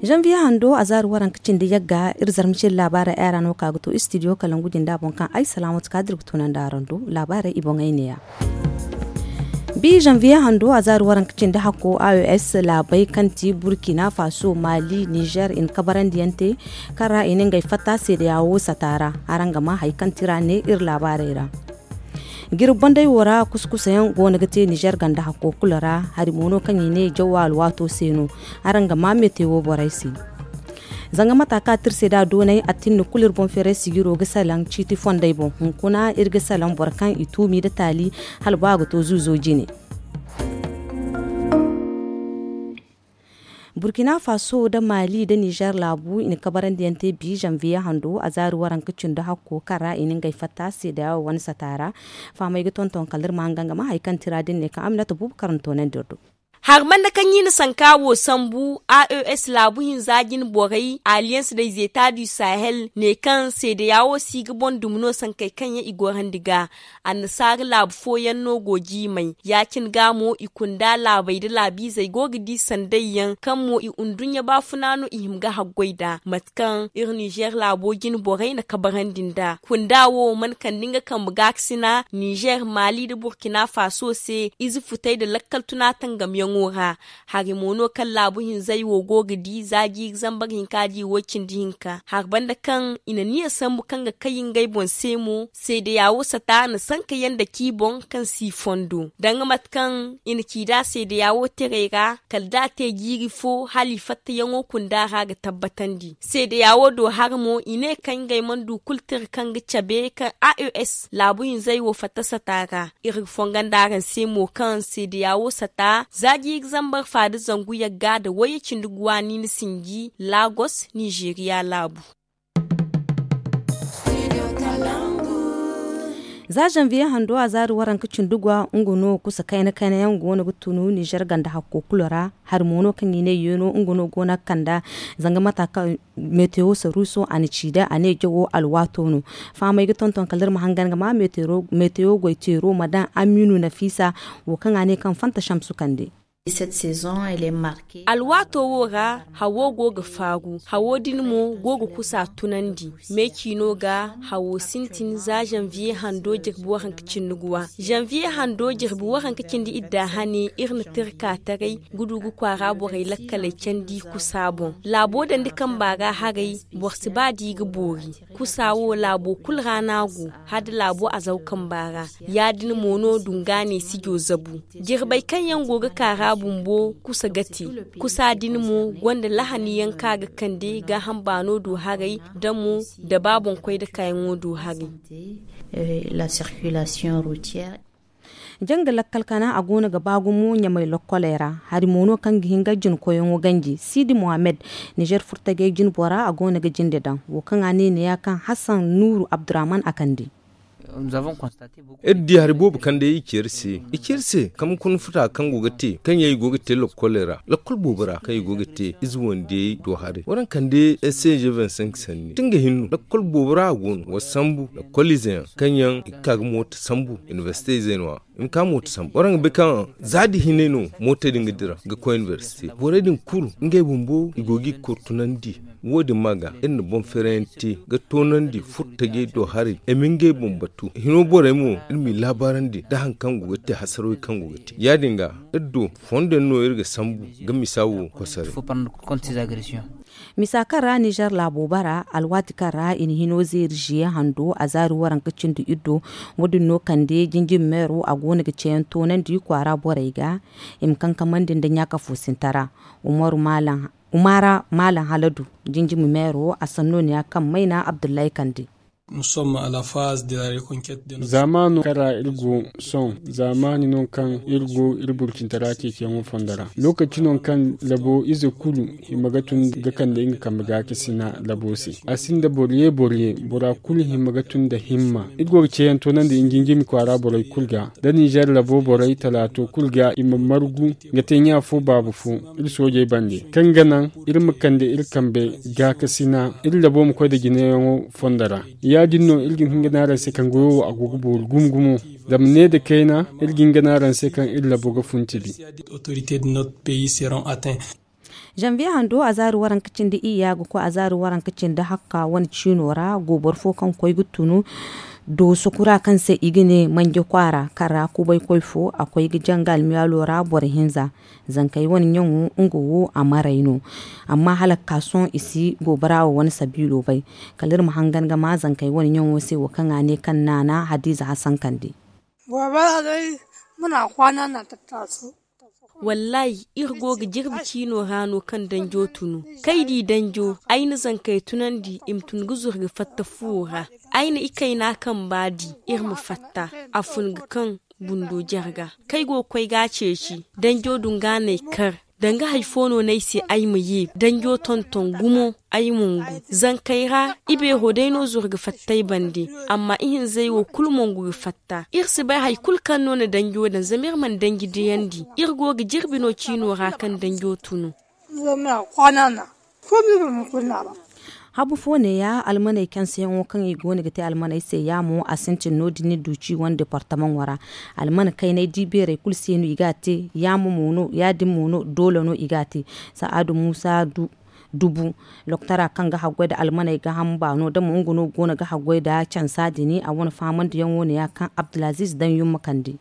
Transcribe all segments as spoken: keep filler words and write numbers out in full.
Zanviye hando a zaari waranka cindi yagga iri zarma cindi laabaarey ay ra no ka ga to istidiyo kalangu jinda boŋ kaŋ ay salaamatu kaadir ga tunandi araŋ do. Laabaarey i boŋey neeya. Bi zanviye hando a zaari waranka cindi hakko a o s laabey kaŋ ti burkina faso mali nizer i na kabarandiyaŋ te kaŋ ra i na ngey fatta seedeya wo sata ra. Araŋ ga maa hari kaŋ ti ra ne iri laabaarey ra. Jirbi bandey wo ra kusa kusayaŋ go no ga te nizer ganda hakko kulu ra. Hari mo no kaŋ i ne jaw alwaato se no. Araŋ ga maa metewo borey se. Zanga mata kaŋ a tirse da doonay a tinni kulu iri boŋ feeray sijiro ga salaŋ ciiti fondey boŋ hunkuna iri ga salaŋ boro kaŋ i tuumi nda taali hala ba a ga to zuuzo jine. Burkina faso nda mali nda nizer laabu i na kabarandiyaŋ te bi zanviye hando a zaari waranka cindi hakko kaŋ ra i na ngey fatta seedeya wo wane sata ra. Fahamey ga tonton kala iri ma hangan ga maa hari kaŋ ti ra din ne kaŋ aminata buubu karanto nandi iri do. Hari banda kaŋ i na sanka wo sambu a o s laabu hinza jine borey alliance des etats du sahel ne kaŋ seedeya wo si ga boŋ dumi no sankey kaŋ yaŋ i gorandi ga. Annasaara laabu fooyaŋ no go jiimay ya-cine ga mo i kunda laabey nda laabiizey go ga di sanday yaŋ kaŋ mo i unduɲɲa baafuna no i hima ga haggoy nd'a mate kaŋ iri nizer laabo jine borey na kabarandi nd'a kunda wo mana kande nga kambe gaakasina nizer mali nda burkina faso se ize futey nda lakkal tuna tangamyaŋo ra. Hari mo no kaŋ laabu hinzey wo go ga di za jiiri zambar hinka di wo cindi hinka hari banda kaŋ i na niya sambu kaŋ ga kay ngey boŋ se mo seedeya wo sata na sanka yaŋ dake i boŋ kaŋ si i fondo danga mate kaŋ i na ci nd'a seedeya wo terey ra kala da a te jiiri fo hala i fattayaŋo kunda ra ga tabbatandi seedeya wo do hari mo i ne kaŋ ngey mana du kulu tira kaŋ ga cabe kaŋ a o s laabu hinzey wo fatta sata ra. Iri ga fonga nda araŋ se mo kaŋ seedeya wo sata za jiiri zambar fa nda zangu yagga nda wayye cindi guwa niina sinji lagos nizeeriya laabu. Za zanviye hando a zaari waranka cindi guwa nga no kusa kayna kayna yaŋ go no ga tunu nizer ganda hakko kulu ra. Hari mo no kaŋ i ne yeeno nga no go no ga kanda zanga mata kaŋ metewo saruuso a na ci da a ne jawo alwaato no. Fahamey ga tonton kala iri ma hangan ga ma metewo goy teero ma daŋ aminu nafiisa wo kaŋ a ne kaŋ fanta samsu kande. Alwaato wo ra hawo go ga faaru hawo din mo go ga kusa tunandi. Me ciino ga hawo sintin za zanviye hando jirbi waranka cindi guwa zanviye hando jirbi waranka cindi idda hane iri na tirka taray ga du ga kwaara borey lakkaley candi kusa boŋ. Laabo dandi kamba ra haray boro si ba da i ga boori. Kusa wo laabo kulu ra no a go hala da laabo azaw kamba ra. Ya- din mo no dunga ne sijo zabu. Jirbey kaŋ yaŋ go ga kaara bumbo kusa ga te. Kusa din mo gonda lahani yaŋ kaŋ a ga kande gaaham baano do haray da mo da ba boŋkoy da kaayaŋo do haray. Janga lakkal kana a go no ga ba gumo ɲamay lokkoley ra. Hari mo no kaŋ ga hin ga jina koyyaŋo ganji siidi mohammed, nizer furtajey jine bora a go no ga jinde daŋ wo kaŋ a ne neeya kaŋ hassan nuuru abdurrahman a kande. Iri di hari boobo kaŋ day i ci iri se i ci iri se kambe kuna futa kaŋ go ga te kaŋ yaŋ i go ga te lokkoley ra lokkol boobo ra kaŋ i go ga te ize wandiyey do haray waranka kande s c g vingt-cinq sanni ti nga hinno lokkol boobo ra a go no wa sambu lokkol ize yaŋ kaŋ yaŋ i ga ka ga mooto sambu inibersite izey no- ya i ma ka mooto sambu waranka bay kaŋ za da hinay no mootey din ga dira ga koy inibersite borey din kulu ngey bumbo i go ga i ga kor tunandi. Wo- din ma ga iri na boŋ feerayaŋ te ga toonandi furtajey do haray i ma ngey boŋ batu hino borey mo iri m'i laabaarandi nda hari kaŋ go ga te hasarwey kaŋ go ga te ya- din ga iri do fondo yaŋ no iri ga sambu ga misa wo kosoray. Misa kaŋ ra nizer laabo bara alwaati kaŋ ra i na hino zeeri ziye hando a zaari waranka cindi iddo. Wo- din no kande jinjin meero a go no ga ceeyaŋ toonandi kwaara borey ga i ma kankamandi nda ɲaaka foosintara. Umaru malam umara malam haladu jinjimi meero a sanno ne ya kaŋ mayna abdullahi kande. Zaamaano kaŋ ra iri go sohõ zaamaani no kaŋ iri go iri burcintara ceeciyaŋo fondo ra lookaci no kaŋ labo ize kulu hima ga tun ga kande nga kambe gaakasina labo se. A sinda boro ye boro ye bora kulu hima ga tun nda himma iri go ga ceeyaŋ toonandi njinjimi kwaara borey kulu ga nda ninzeer labo borey talaato kulu ga i ma margu ga te ɲa fo baaba fo iri soojey bande kaŋ ga naŋ iri ma kande iri kambe gaakasina iri labo ma koy nda jinayaŋo fondo ra. Ya- din no iri ga hin ga ne araŋ se kaŋ goyo wo a go ga boori gumo gumo. Zama ne nda kayna iri ga hin ga ne araŋ se kaŋ iri labo ga fun tibi. Zanviye hando a zaari waranka cindi iyya ga koy a zaari waranka cindi hakka wane ciino ra gooboro fo kaŋ koy ga tunu dooso kura kaŋ se i ga ne manje kwaara kaŋ ra kubay koy fo a koy ga janga almiyaalo ra boro hinza. Zankey wane ɲaŋo nga wo a maray no. Amma hala ga ka sohõ i si goobora wo wane sabiilo bay. Kala iri ma hangan ga ma zankey wane ɲaŋo se wo kaŋ a ne kaŋ naana hadiize hasankandi. Goobora day muna kwaana na tattaso. Wallaahi iri go ga jirbi ciino ra no kaŋ danjo tunu. Kay di danjo ay na zankey tunandi i ma tun ga zuru ga fatta fuwo ra. Ay na ikayna kamba di iri ma fatta a fun ga kaŋ bundo jarga. Kay go ga koy ga a ceeci danjo dunga n'ay kar. Danga hari fo no no ay se ay ma ye danjo tonton gumo. Ay mungu zankey ra ibeero day no zuru ga fatta ay bande. Amma ihinzey wo kulu mongu ga fatta iri si bay hari kulu kaŋ no na danjo daŋ zama iri mana danji diyandi. Iri go ga jirbi no ciino ra kaŋ danjo tunu. Habu fo neeya almaney kanseyaŋo kaŋ i go no ga te almaney se yaamo a sintin no- din duuci wane departamaŋo ra. Almana kaynay di beerey kulu se no i ga a te. Yaamo mo no ya- din mo no doole no i ga a te. Sa'adu muusa dubu loktora kaŋ ga haggoy nda almaney gaaham baano da mo nga no go no ga haggoy nda cansa din a wane fahamandiyaŋo neeya kaŋ abdulaziiz daŋ yumma kande.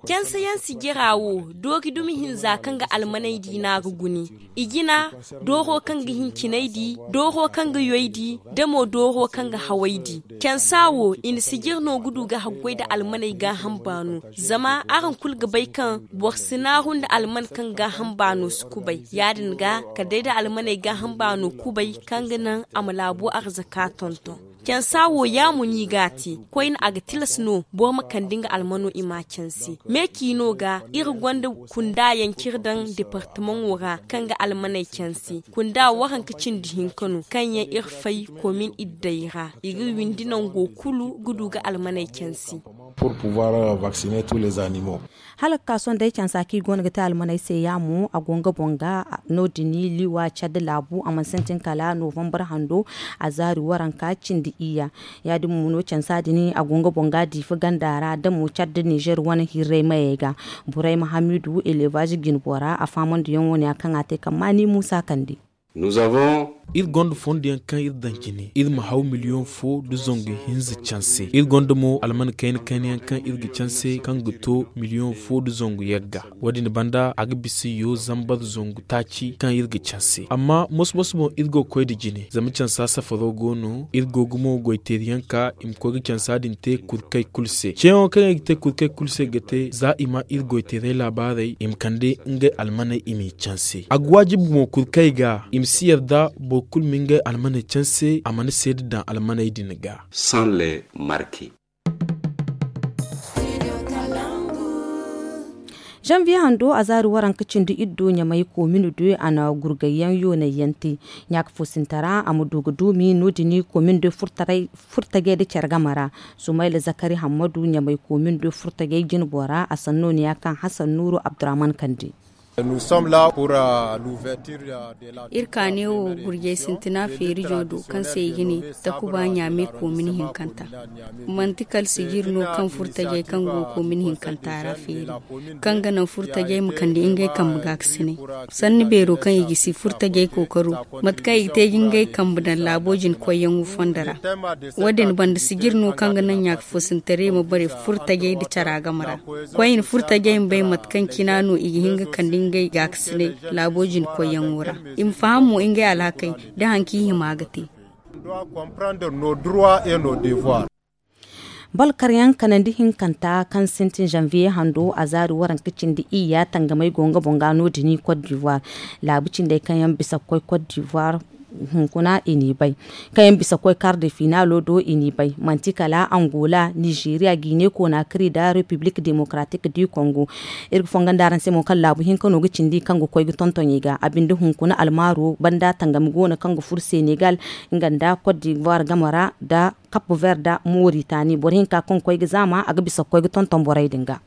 Canse yaŋ sijira wo doori dumi hinza kaŋ ga almaney di no a ga gune. I jina dooro kaŋ ga hincinay di, dooro kaŋ ga yoy di, da mo dooro kaŋ ga haway di. Cansa wo i na sijir no ga du ga haggoy nda almaney gaaham baano. Zama araŋ kulu ga bay kaŋ boro si naaru nda alman kaŋ gaaham baano si kubay. Ya- din ga kala day nda almaney gaaham baano kubay kaŋ ga naŋ a ma laabo arzaka tonton. Cansa wo yaamo no i ga a te. Koyne a ga tilas no boro ma kande nga almano i m'a canse. Me ciino ga iri gonda kunda yaŋ kaŋ iri daŋ departamaŋo ra kaŋ ga almaney canse. Kunda waranka cindi hinka no kaŋ yaŋ iri fay komin iddey ra i ga windi nango kulu ga du ga almaney canse. Hala ga ka sohõ day cansa kaŋ i go no ga te almaney se yaamo a go nga boŋ ga. No- din liwa cadde laabu a mana sintin kala novambar hando. A zaari waranka cindi iyya. Ya- din mo no cansa din a go nga boŋ ga diifa ganda ra da mo cadde nizer wane hirray mayey ga. Borey ma hamidu elevaaz jinbo ra a faamandiyaŋo neeya kaŋ a te kaŋ maani muusa kande. Iri gonda fondo yaŋ kaŋ iri daŋ jine iri ma haw miliyoŋ fo nda zangu hinza canse. Iri gonda mo alman kayna kayna yaŋ kaŋ iri ga canse kaŋ ga to miliyoŋ fo nda zangu yagga. Wo- din banda a ga bisa yo zambar zangu taaci kaŋ iri ga canse amma moso moso boŋ iri go ga koy nda jine zama cansa safaro go no iri go ga mo goyteeri yaŋ ka i ma koy ga cansa din te kurkey kulu se ceeyaŋo kaŋ i ga te kurkey kulu se ga te za i ma iri goyteerey laabaarey i ma kande ngey almaney i m'i canse a ga waajibi mo kurkey ga i ma si yarda boro kulu ma ngey almaney canse a mana seeda daŋ almaney din ga. Zanviye hando a zaari waranka cindi iddo ɲamay koomino de a na gurgayyaŋ yoonayyaŋ te. Ɲaaka foosintara a ma du ga duumi no- din koomin de furtajey nda care game ra. Sumayla zakari hammadu ɲamay koomin de furtajey jinbo ra a sanno neeya kaŋ hasan nuuru abdurrahman kande. Iri ka neewo gurjay sintina feerijo do kaŋ se i ga ne takuba ɲaame koomin hinkanta. Manti kala sijir no kaŋ furtajey kaŋ go koomin hinkanta ra feeri kaŋ ga naŋ furtajey ma kande ngey kambe gaakasinay. Sanni beero kaŋ i gisi furtajey kookaro mate kaŋ i ga te ga ngey kambe daŋ laabo jine koyyaŋo fondo ra. Wo- din banda sijir no kaŋ ga naŋ ɲaaka foosintaray ma bare furtajey nda cara game ra. Koyne furtajey ma bay mate kaŋ cina no i ga hin ga kande ngey gaakasinay laabo jine koyyaŋo ra. I ma faham mo ngey alhakey da hari kaŋ i hima ga te. Balkaryaŋ kanandi hinkanta kaŋ sintin zanviye hando a zaari waranka cindi iyya tangamey go nga boŋ ga no- din kot divuwar. Laabu cindey kaŋ yaŋ bisa ga koy kot divuwar hunkuna i n'i bay. Kaŋ yaŋ bisa ga koy kar de finaalo do i n'i bay manti kala angola nizeeriya gine konaakari nda repiblik demokaratik di kongo. Iri ga fonga nda araŋ se mo kaŋ laabu hinka no ga cindi kaŋ ga koy ga tonton i ga a binde hunkuna almaaro banda tangami go no kaŋ ga furo senegal nga nda kot divuwar game ra nda kap ver nda moritani boro hinka kaŋ ga koy ga zaama a ga bisa ga koy ga tonton borey din ga.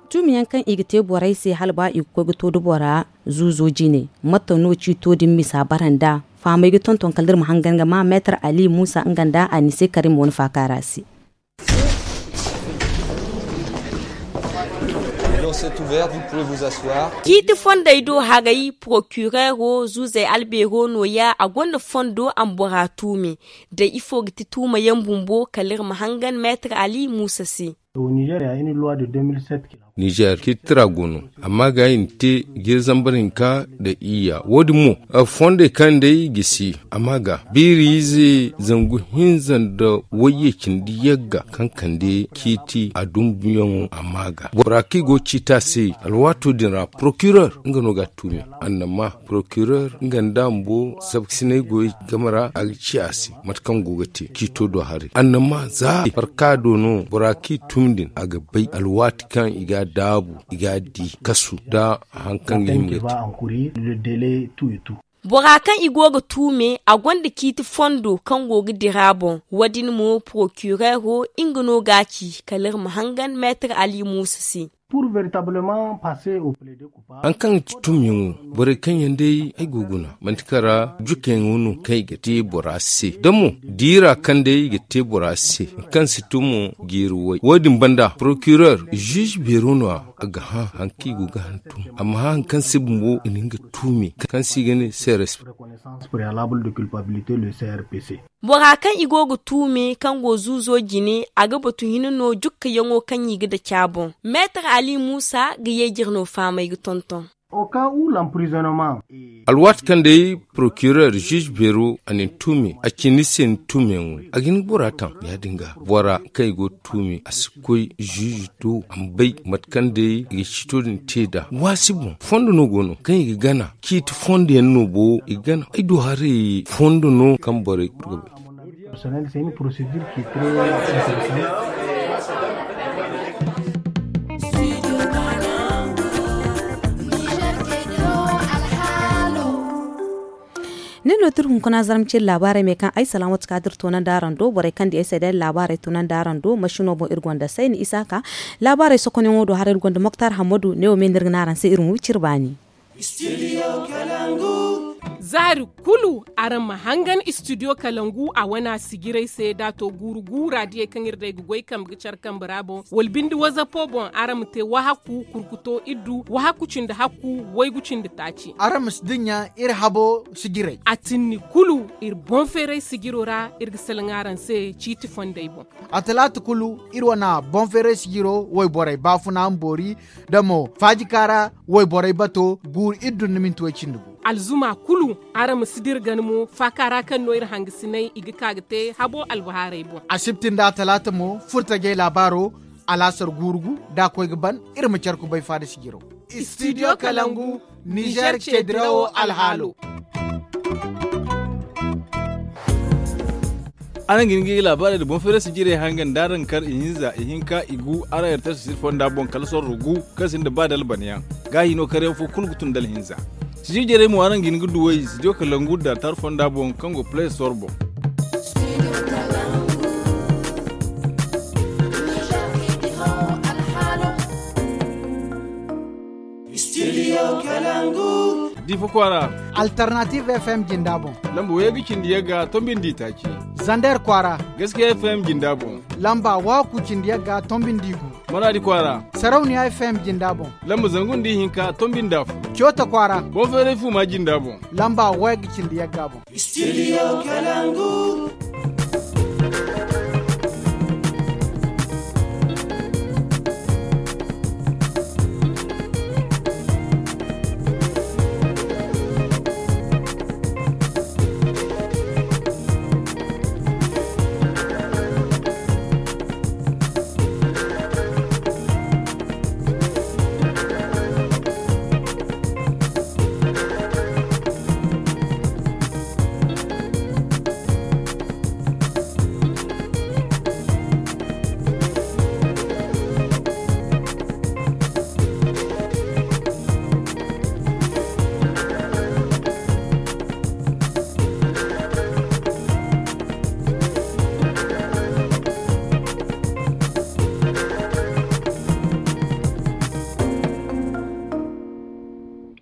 Tuumi yaŋ kaŋ i ga te borey se hala ba i ga koy ga to nda bora zuuzo jine? Mate no ciito din misa bara nda fahamey ga tonton kala iri ma hangan ga ma meetar ali muusa nga nda anise karim wane faakaara se. Ciiti fondey do haray porokireero zuuzey albeero nooya a gonda fondo a ma bora tuumi. Day ifo ga ti tuumayaŋ bumbo kala iri ma hangan meetar ali muusa se. Nizer ciiti tira go no. Amma ga i na te jiiri zambar hinka nda iyya wo- din mo fondey kaŋ day gisi amma ga biiri ize zangu hinza nda wayye cindi yagga kaŋ kande ciiti a dumbuyaŋo amma ga bora kaŋ i go ga ciiti a se. Alwaato din ra porokirer nga no ga a tuumi. Annama porokirer nga nda a bumbo sabkasinay goyey game ra a ga ci a se mate kaŋ go ga te ciito do haray annama za farka do no bora kaŋ i tun din a ga bay alwaati kaŋ i ga a daabu i ga a di kasu nda hari kaŋ ga hima ga te. Bora kaŋ i go ga tuume a gonda ciiti fondo kaŋ go ga dira boŋ. Wo- din mo porokireero nga no ga a ci kala iri ma hangan meetar ali muusa se. Hari kaŋ ga ti tumyaŋo borey kaŋ yaŋ day ay go ga guna manti kaŋ ra jukayaŋo no kaŋ i ga te bora se da mo diira kaŋ day i ga te bora se hari kaŋ si tumo jiiri way wo- din banda porokirer ziize beero no- ya a ga hã hari kaŋ i go ga hantum a ma hã hari kaŋ se bumbo i na nga tuumi kaŋ se i ga ne seres. Bora kaŋ i go ga tuume kaŋ go zuuzo jine a ga batu hina no jukkayaŋo kaŋ i ga daci a boŋ. Meetar ali muusa ga yeejir no faamay ga tonton. Alwaati kaŋ day porokirer ziize beero a na ni tuume a ci ni se ni tuumeyaŋo a ga hin ga bora taŋ ya- din ga bora kaŋ i go ga tuume a si koy ziize do a ma bay mate kaŋ day i ga ciito din te nd'a waasi boŋ fondo no go no kaŋ i ga gana ciiti fondo yaŋ no bo i ga gana ay du haray fondo no kaŋ borey kulu ga bay. Nin no tira hunkuna zarma cire laabaarey me kaŋ ay salaamatu ka dira toonandi araŋ do borey kaŋ di ay se day laabaarey toonandi araŋ do masino boŋ iri gonda sayni isaaka. Laabaarey sokonyaŋo do hara iri gonda moktar hammadu ne wo me no iri ga ne araŋ se iri ma wi cire baani. Za hari kulu araŋ ma hangan istidiyo kalangu a wane a sijirey se da a to guuru guura diyey kaŋ iri day ga goy kambe ga care kambe ra boŋ wala binde wazapo boŋ araŋ ma te wahakku kurkuto iddu wahakku cindi hakku waygu cindi taaci. Araŋ ma si dinya iri habo sijirey a tinni kulu iri boŋ feeray sijiro ra iri ga salaŋ araŋ se ciiti fondey boŋ. A talaata kulu iri wane boŋ feeray sijiro wayborey baafuna ma boori da mo faajika ra wayborey bato guuru iri dun ni minti way cindi gu. Alzuma kulu araŋ ma si dira gana mo faaka ra kaŋ no iri hangasinay i ga ka ga te habo albahaarey boŋ. Asibti nda talaata mo furtajey laabaaro alaasar guuru gu da a koy ga ban iri ma care kubay faada sijiro. Istidiyo kalangu nizer ce dirawo alhaalo. Araŋ ga hin ga i ga laabaarey nda boŋ feeray sijirey hangan da araŋ kar ihinza ihinka igu araŋ yartar sijir fonda boŋ kala sorro gu kaŋ sinda ba da albanayaŋ. Gaahi no karyaŋ fo kulu ga tun da alhinza. Sijir jarey mo araŋ ga hin ga duw'ey studio kalangu da altar fonda boŋ kaŋ go play store boŋ. Studio kalangu. Difa kwaara. Alternative fm jinda boŋ. Lamba wayey ga cindi yagga tombindi taaci. Zander kwaara. Gaskiya fm jinda boŋ. Lamba waku cindi yagga tombindi gu. Maradi kwaara. Sarauniya fm jinda boŋ. Lamba zangu nda ihinka tombindi afo. Coota kwaara. Boŋ feeray fuma jinda boŋ. Lamba wayey ga cindi yagga boŋ. Studio kalangu.